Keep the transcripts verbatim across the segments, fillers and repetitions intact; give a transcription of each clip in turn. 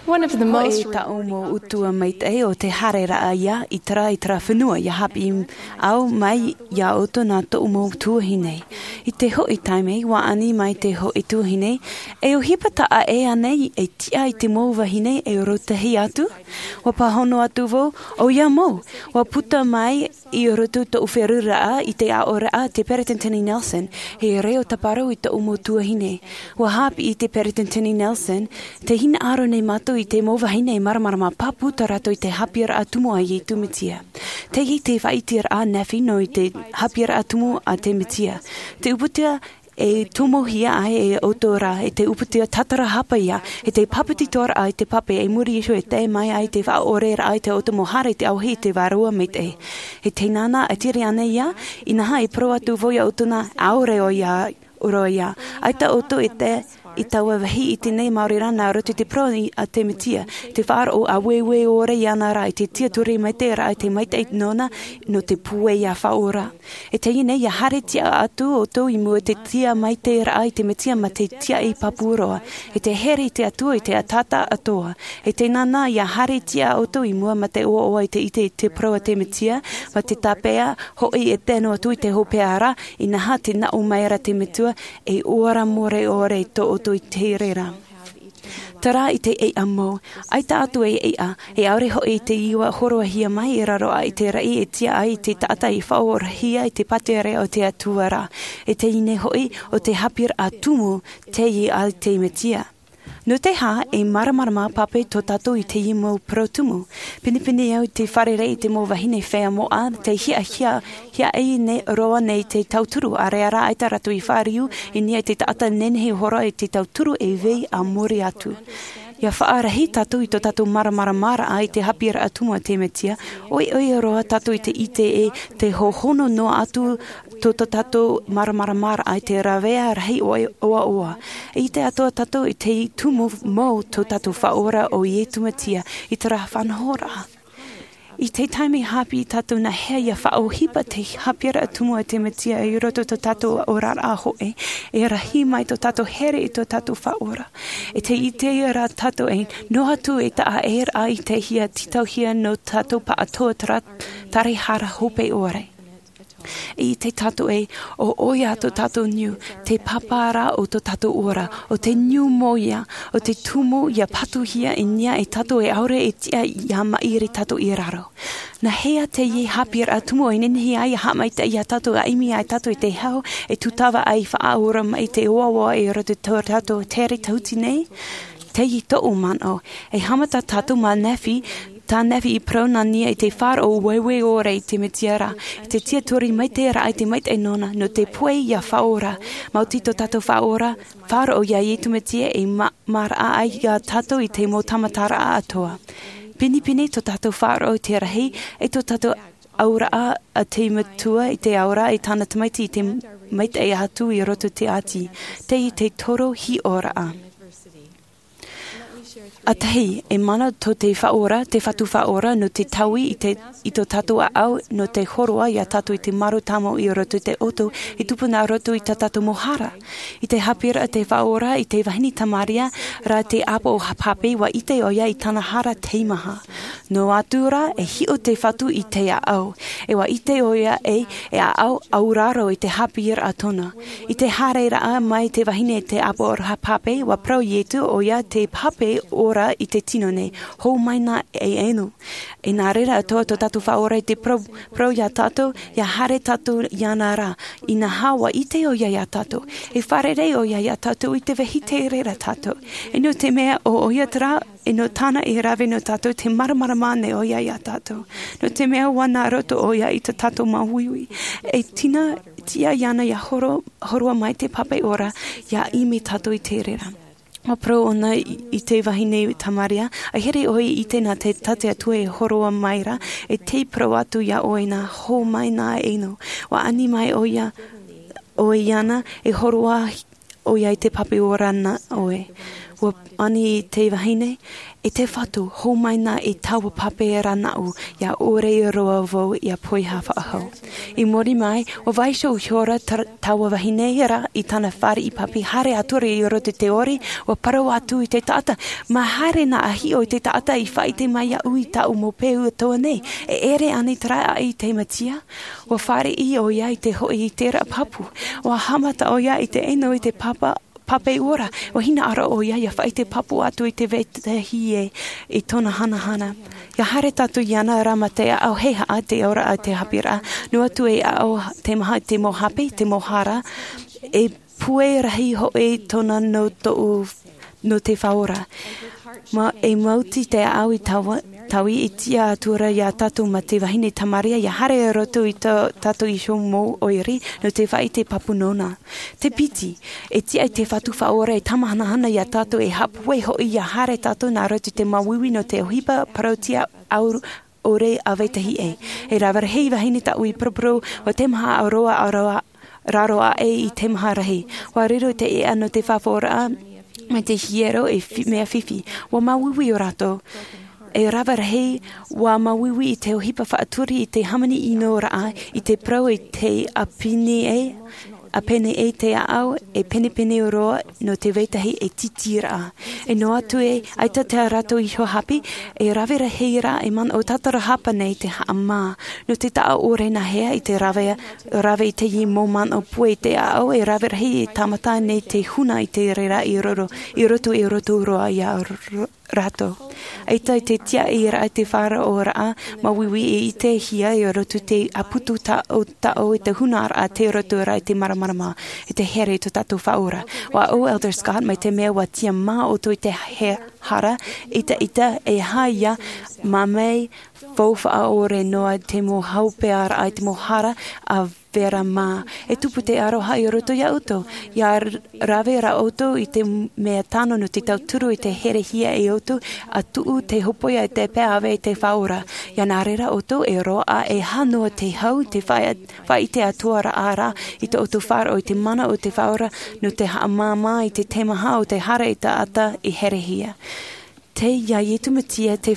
One of the most e taʻu mau utuʻa maitaʻi o te haereraʻa ia i terā i terā fenua ia hāpiʻi au mai iā ʻoutou nā tōʻu mau tuahine. I te hoʻi taime ua ani mai te hoʻi tuahine, e ʻohipa taʻa ʻē ānei e tiʻa i te mau vahine e rōtahi atu? Ua pāhono atu vau, ʻoia mau. Ua puta mai i roto tōʻu feruriraʻa i te aʻoraʻa te peretiteni Nelson, e reo tāparu i tōʻu mau tuahine. Ua hāpiʻi te peretiteni Nelson, te hinaʻaro nei mātou i te mau vahine e māramarama pāpū tā rātou i te hāpiʻiraʻa tumu a iesu mesia. Teie te faʻaiteraʻa nehenehe nō i te hāpiʻiraʻa tumu a te mesia. Te uputa e tomohia ai e ʻoutou rā e te uputa tātarahapa ia, e te pāpetitoraʻa i te pape i muri iho e tae mai ai te faʻaʻoreraʻa i te ʻoutou mau haere i te ʻauahi i te vārua maitaʻi. E tēnā nā e tere ana ia, inaha e parau atu vau iā ʻoutou nā ʻaore ʻoia roa ia. ʻAita ʻoutou e tae i taua vāhi i teie nei maori rā nā roto i te parau a te mesia, te faʻaroʻo ʻāueue ʻore iāna rā i te tiaturi maitaʻiraʻa i te maitaʻi nōna, nō te pūai ia faʻaora. E teie nei ia haere tiʻa atu ʻoutou i mua i te tiʻa maitaʻiraʻa i te mesia mā te tiaʻi pāpū roa, e te here i te atua i te taʻata atoa. E tēnā nā ia haere tiʻa ʻoutou i mua mā te ʻoaʻoa i te ʻite i te parau a te mesia, mā te tāpeʻa hoʻi e tae noa atu i te hopeʻa ra, inaha te naʻo mai ra te metua, e ora more ʻore tō ʻoutou i te reira. Terā i te ʻeiʻa mau, ʻaita atu e ʻeiʻa, e ʻaore hoʻi i te iʻoa hōroʻahia mai i raro aʻe i te raʻi e tiʻa ai i te taʻata i faʻaorahia i te pātireia o te atua ra. E teie nei hoʻi o te hāpiʻiraʻa tumu, teie a te mesia. Nō te aha e māramarama pape tō tātou i teie mau parau tumu? Pinepine au i te fārerei i te mau vahine fea moʻa te hiahia hiaʻai nei roa nei te tauturu, ʻaore rā ʻaita rātou i fāriu i niʻa i te taʻata nehenehe hora i te tauturu e vai a muri atu. Ia faʻarahi tātou i tō tātou māramaramaraʻa i te hāpiʻiraʻa tumu a te mesia, ʻoiʻoi roa tātou i te ʻite e te hohono noa atu tō tō tātou māramaramaraʻa i te rāveʻa rahi ʻoaʻoa. E ʻite atoʻa tātou i te tumu mau tō tātou faʻaora o iesu mesia i terā faʻanahoraʻa. I te taime hāpiʻi tātou nā hea ia faʻaʻohipa te hāpiʻiraʻa tumu a te mesia i roto tō tātou oraraʻa hoʻi, e rahi mai tō tātou here i tō tātou faʻaora. E te ʻite rā tātou e noa atu e taʻa ʻē rā i te hia tītauhia nō tātou pāʻatoʻa terā tare hara hope ʻore. I te tātou e, ʻo ʻoia tō tātou niu, te pāpā rā o tō tātou ora, ʻo te niu mau ia, ʻo te tumu ia patuhia i niʻa e tātou e ʻaore e tiʻa ia maʻiri tātou i raro. Nā hea teie hāpiʻiraʻa tumu e nehenehe ai ia haʻamaitaʻi iā tātou, ia ʻimi ai tātou i te hau e tūtava ai faʻaora mai te ʻoaʻoa i roto i tō tātou tere tahuti nei? Teie tōʻu manaʻo, e haʻamata tātou mā nehenehe, tā nehenehe i parau nā niʻa i te faʻaroʻo ʻāueue ʻore i te mesia ra, i te tiaturi maitaʻiraʻa i te maitaʻi nōna, nō te pūai ia faʻaora, maoti tō tātou faʻaora, faʻaroʻo iā iesu mesia e ma-, maraʻa ai iā tātou i te mau tāmataraʻa atoʻa. Pinepine tō tātou faʻaroʻo i te rahi, e tō tātou auraʻa a te metua i te auraʻa i tāna tamaiti i te maitaʻi atu i roto i te ʻāti, teie te toro hiʻoraʻa. ʻA tahi, e mana tō te faʻaora, te fatu faʻaora, nō te taui i te, i tō tātou ʻāʻau, nō te hōroʻa iā tātou i te mārō tāmau i roto i te ʻoto, e tupu nā roto i tā tātou mau hara. I te hāpiʻiraʻa te faʻaora i te vahine Tamaria ra te ʻāpoʻo pape, ua ʻite ʻoia i tāna hara teimaha. Noa atu rā, e hiʻo te fatu i te ʻāʻau, e ua ʻite ʻoia e, e ʻāʻau auraro i te hāpiʻiraʻa tōna. I te haereraʻa mai te vahine te ʻāpoʻo pape, ua parau iesu ʻoia te pape ora i te tino nei, hou mai nā e ʻeno. E nā reira atoʻa tō tātou faʻaora i te parau, parau iā tātou, ia haere tātou iāna ra, inaha ua ʻite ʻoia iā tātou. E fārerei ʻoia iā tātou i te vāhi tei reira tātou. E nō te mea ʻo ʻoia terā, e nō tāna e rave nō tātou, te māramarama nei ʻoia iā tātou. Nō te mea ua nā roto ʻoia i tā tātou māuiui. E tina, tiʻa iāna ia horo-, hōroʻa mai te pape ora, ia ʻimi tātou i te reira. Ua parau ʻōna i, i te vahine Tamaria, ʻa here ʻoe i ʻite nā te, tā te Atua e hōroʻa mai ra, e tei parau atu iā ʻoe nā, hou mai nā e ʻeno. Ua ani mai ʻoia, ʻoe iāna, e hōroʻa ʻoia i te pape ora nā ʻoe. Ua ani te vahine, e te fatu, hōmai na i taua pape rānaʻu, ia ʻore roa vau ia poiha faʻahou. I muri mai, ua vaiiho ihora taua vahine ra i tana fare i pape, haere atu ra i roto i te ʻori, ua parau atu i te taʻata, mā haere na a hiʻo i te taʻata i faʻaite mai iaʻu i taʻu mau peu atoa nei, e ʻere anei te raʻa i te matia? Ua fāriʻi ʻoia i te hoʻi i te raʻa papu. Ua haʻamata ʻoia i te ʻeno i te papa pape ora, ua hinaʻaro ʻoia ia faʻaite papu atu i te vetahi ē i tōna hanahana. Ia haere tātou iāna rā mā te aʻo hei haʻa te ora a te hāpiʻiraʻa, noa atu e aʻo te maha i te mau hape, te mau hara, e pue rahi hoʻi tōna nō tōʻu, nō te faʻaora. Mā e maoti te aʻo i taua taui i tiʻa atu ra iā tātou mā te vahine tamaria ia haere roto i tō tātou iho mau ʻoire nō te faʻaite papu nōna. Te piti, e tiʻa i te fatu faʻaora e tamahanahana iā tātou e haʻapūai hoʻi ia haere tātou nā roto i te māuiui nō te ʻohipa parauʻtiʻa ʻaore ʻa vetahi ē. E rave rahi vahine tāʻu i paraparau ua te maha ʻaroa ʻaroa raro aʻe i te maha rahi. Ua riro te ʻeʻa nō te faʻaora mai te hiero e mea fifi. Ua māuiui ʻo rātou. E rave rahi ua māuiui i te ʻohipa faʻaturi i te hāmani ʻino raʻa i te parau i te ʻāpene ē, ʻāpene ē te aʻo e penepene roa nō te vetahi e titi raʻa. E noa atu e ʻaita tā rātou iho hape, e rave rahi rā e manaʻo tātarahapa nei te haʻamā nō te taʻa ʻore nā hea i te rave rave i teie mau manaʻo pue i te aʻo e rave rahi e tāmata nei te huna i te reira i roro i roto i roto roa iā rātou. ʻAita i te tiaʻi raʻa i te faʻaoraʻa māuiui e ʻitehia i roto i te ʻāputu taʻotaʻo i te hunaraʻa te roto rā i te māramarama i te here i tō tātou faʻaora. Ua ʻo elder Scott mai te mea ua tiʻa mā ʻoutou i te hara ʻitaʻita e haia mā mai fou faʻaʻore noa te mau haʻapiʻiraʻa i te mau hara a vera mā. E tupu te aroha i roto iā ʻoutou ia rave rā ʻoutou i te mea tano nō te tauturu i te herehia e ʻoutou a tuʻu te hopoia i te pae ʻave i te faʻaora. Ia nā reira ʻoutou e roaʻa e hā noa te hau i te faʻaite atoʻa raʻa rā i tō ʻoutou faʻaroʻo i te mana o te faʻaora nō te haʻamāmā i te teimaha o te hara i taʻata i herehia. Tei iā iesu mesia te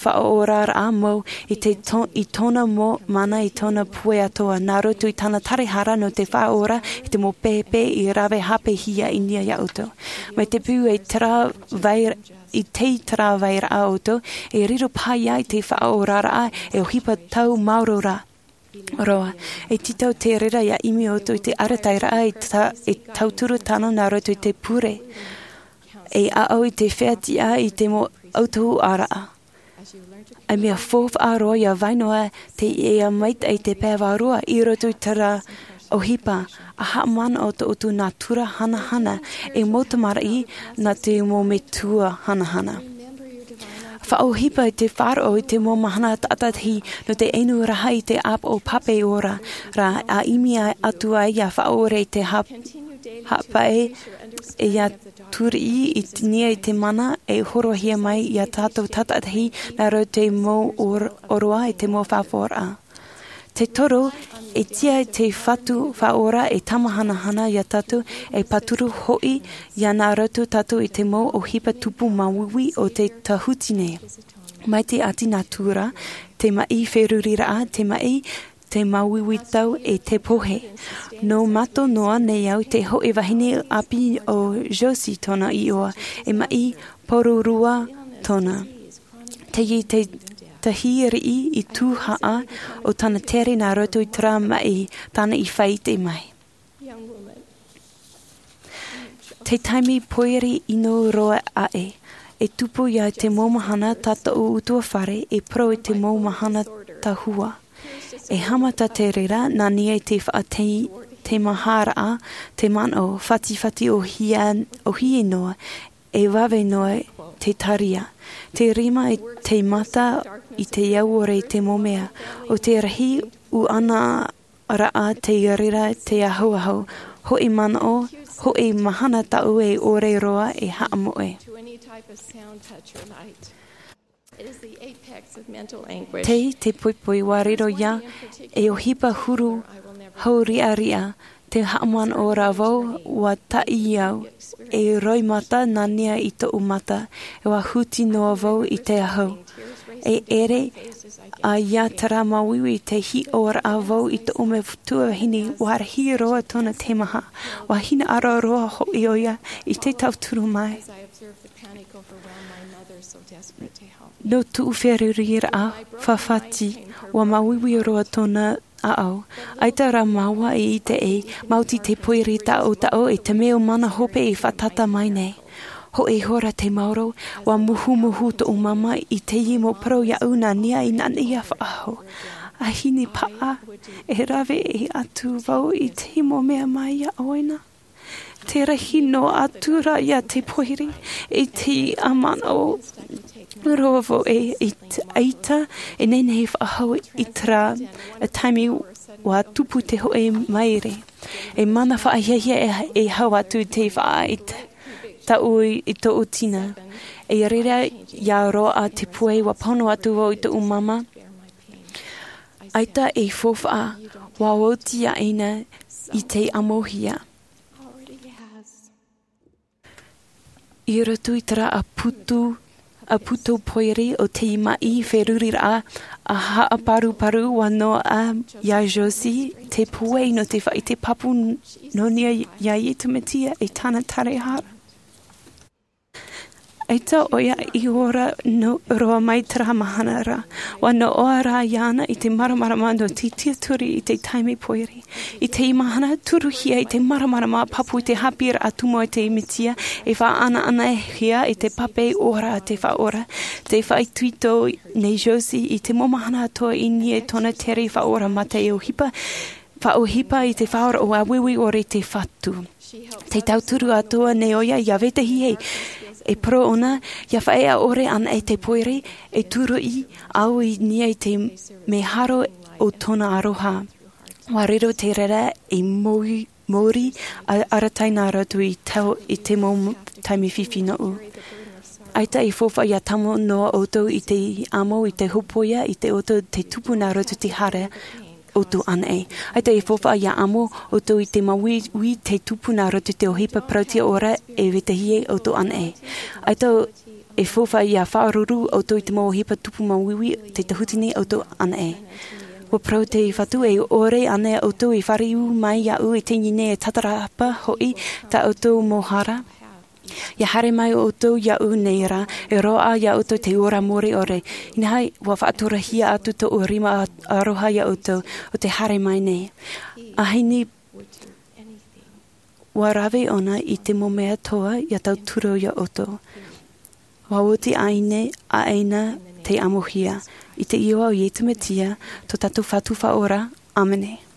faʻaoraraʻa mau i tōna mau mana i tōna pue atoʻa nā roto i tana tarahara nō te faʻaora i te mau pēpē i rave hāpihia i niʻa iā ʻoutou. Mai te pū e tera vai i te tera vai raʻa ʻoutou e riro paha ia i te faʻaoraraʻa e ʻohipa tau maoro rā roa. E tītau te reira ia ʻimi ʻoutou i te arataʻiraʻa e tauturu tano nā roto i te pure e aʻo i te fea tiʻa i te mau ʻautuʻaraʻa. E mea fou faʻaroa ia vai noa te ia maitaʻi te pae vārua i roto i tera ʻohipa a haʻamanaʻo tō ʻoutou nā tura hanahana e mau tamariʻi nā te mau metua hanahana. Faʻaʻohipa i te faʻaroʻo i te mau mahana tātaʻitahi nō te inu rahi i te ʻāpoʻo pape ora rā a ʻimi atu ai ia faʻaʻore i te hapaʻe e ia turiʻi i niʻa i te mana e horohia mai iā tātou tātaʻitahi nā roto i te mau ʻoroʻa i te mau faʻaora. Te toru, e tiʻa i te fatu faʻaora e tamahanahana iā tātou e pāturu hoʻi ia nā roto tātou i te mau ʻohipa tupu māuiui o te tāhuti nei. Mai te ʻati natura te maʻi feruriraʻa te maʻi te māuiui tau e te pohe. Nō mātou noa nei au te hoʻi vahine ʻāpī o josie tōna iʻoa e maʻi pororua tōna. Teie te tahi riʻi i tuhaʻa o tana tere nā roto i tera maʻi tāna i faʻaite mai. Te taime pōiri ʻino roa aʻe e tupu ia te mau mahana tā tōʻu utuafare e parau i te mau mahana tahua. E haʻamata te reira nā niʻa i te faʻateimaharaʻa te manaʻo fatifati ʻohie noa e vave noa te taria. Te rima i te mata i te auore i te mau mea o te rahi ʻuʻana raʻa te reira te ahuahu hoʻi manaʻo hoʻi mahana taʻu e ʻore roa e haʻamoʻe. Tei te poipoi ua riro ia e ʻohipa huru hau riʻariʻa. Te haʻamanaʻo ra vau ua taʻi au e roimata nānia i toʻu mata. E ua huti noa vau i te ahu e ʻere a ia terā māuiui te hiʻoraʻa vau i toʻu metua vahine. Ua rahi roa tōna teimaha. Ua hinaʻaro roa hoʻi ʻo ia i te tauturu mai. Nō tuʻu feruriraʻa fafati ua māuiui roa tōna ʻaʻau. ʻAita rā māua i ʻite e maoti te poiri taʻotaʻo e te mea o mana hope e fātata mai nei. Hoʻi hora te maoro ua muhumuhu toʻu māmā i teie mau parau iaʻu nānia i nānia faʻahou. A hine paʻa e rave e atu vau i te mau mea mai iā ʻoe na. Te rahi noa atu rā ia te poiri i te ʻamanaʻo roa vau e ʻaita e nehenehe faʻahou i terā taime ua tupu te hoʻi maere. E mana faʻahiahia e hau atu te faʻaʻite taʻu i toʻu tina. E reira ia roaʻa te pue ua pono atu vau i toʻu māmā. ʻAita e faufaʻa ua oti aʻena i te ʻamohia. I roto i terā ʻāputu ʻāputu poiri o te maʻi feruriraʻa a haʻaparuparu ua noaʻa iā josie te pue nō te faʻaʻite pāpū nō nia iā iesu mesia e tāna tārehara. ʻAita ʻo ia i ora roa mai terā mahana rā. Ua noaʻa rā iāna i te māramarama nō te tiaturi i te taime poiri. I te mahana turuhia i te māramarama pāpū i te hāpiʻiraʻa tumu a te mesia e faʻaʻanaʻanahia i te pape ora a te faʻaora. Te faʻaitoito nei josie i te mau mahana atoa i niʻa i tōna tere faʻaora mā te ʻohipa faʻaʻohipa i te faʻaora o ʻāueue ʻore i te fatu. Te tauturu atoa nei ʻo ia iā vetahi e e parau ʻōna ia faʻaea ʻore ana e te poiri e turuʻi au i niʻa i te meharo o tōna aroha. Ua riro te reira e mōri mōri arataʻi nā rātou i te mau taime fifi noʻu. ʻAita e faufaʻa ia tāmau noa ʻoutou i te amo i te hōpoiʻa i te ʻoutou te tupu nā rātou te hara ʻoutou ʻanaʻe. ʻAita e faufaʻa ia amo ʻoutou i te māuiui te tupu nā rātou te ʻohipa parauʻtiʻa ora e vetahi ʻoutou ʻanaʻe. ʻAita e faufaʻa ia faʻaruru ʻoutou i te mau ʻohipa tupu māuiui te tahutini ʻoutou ʻanaʻe. Ua parau te fatu e ʻore ana ʻoutou i fāriu mai iāʻu i teie nei e tatarapa hoʻi tā ʻoutou mau hara. Ia haere mai ʻoutou iāʻu nei rā e roaʻa iā ʻoutou te ora mure ʻore. Inaha ua faʻaturahia atu tōʻu rima aroha iā ʻoutou o te haere mai nei. Ahini ua rave ʻōna i te mau mea toa ia tauturu iā ʻoutou. Ua oti aʻena te ʻamohia i te iʻoa o iesu mesia tō tātou fatu faʻaora. ʻĀmene.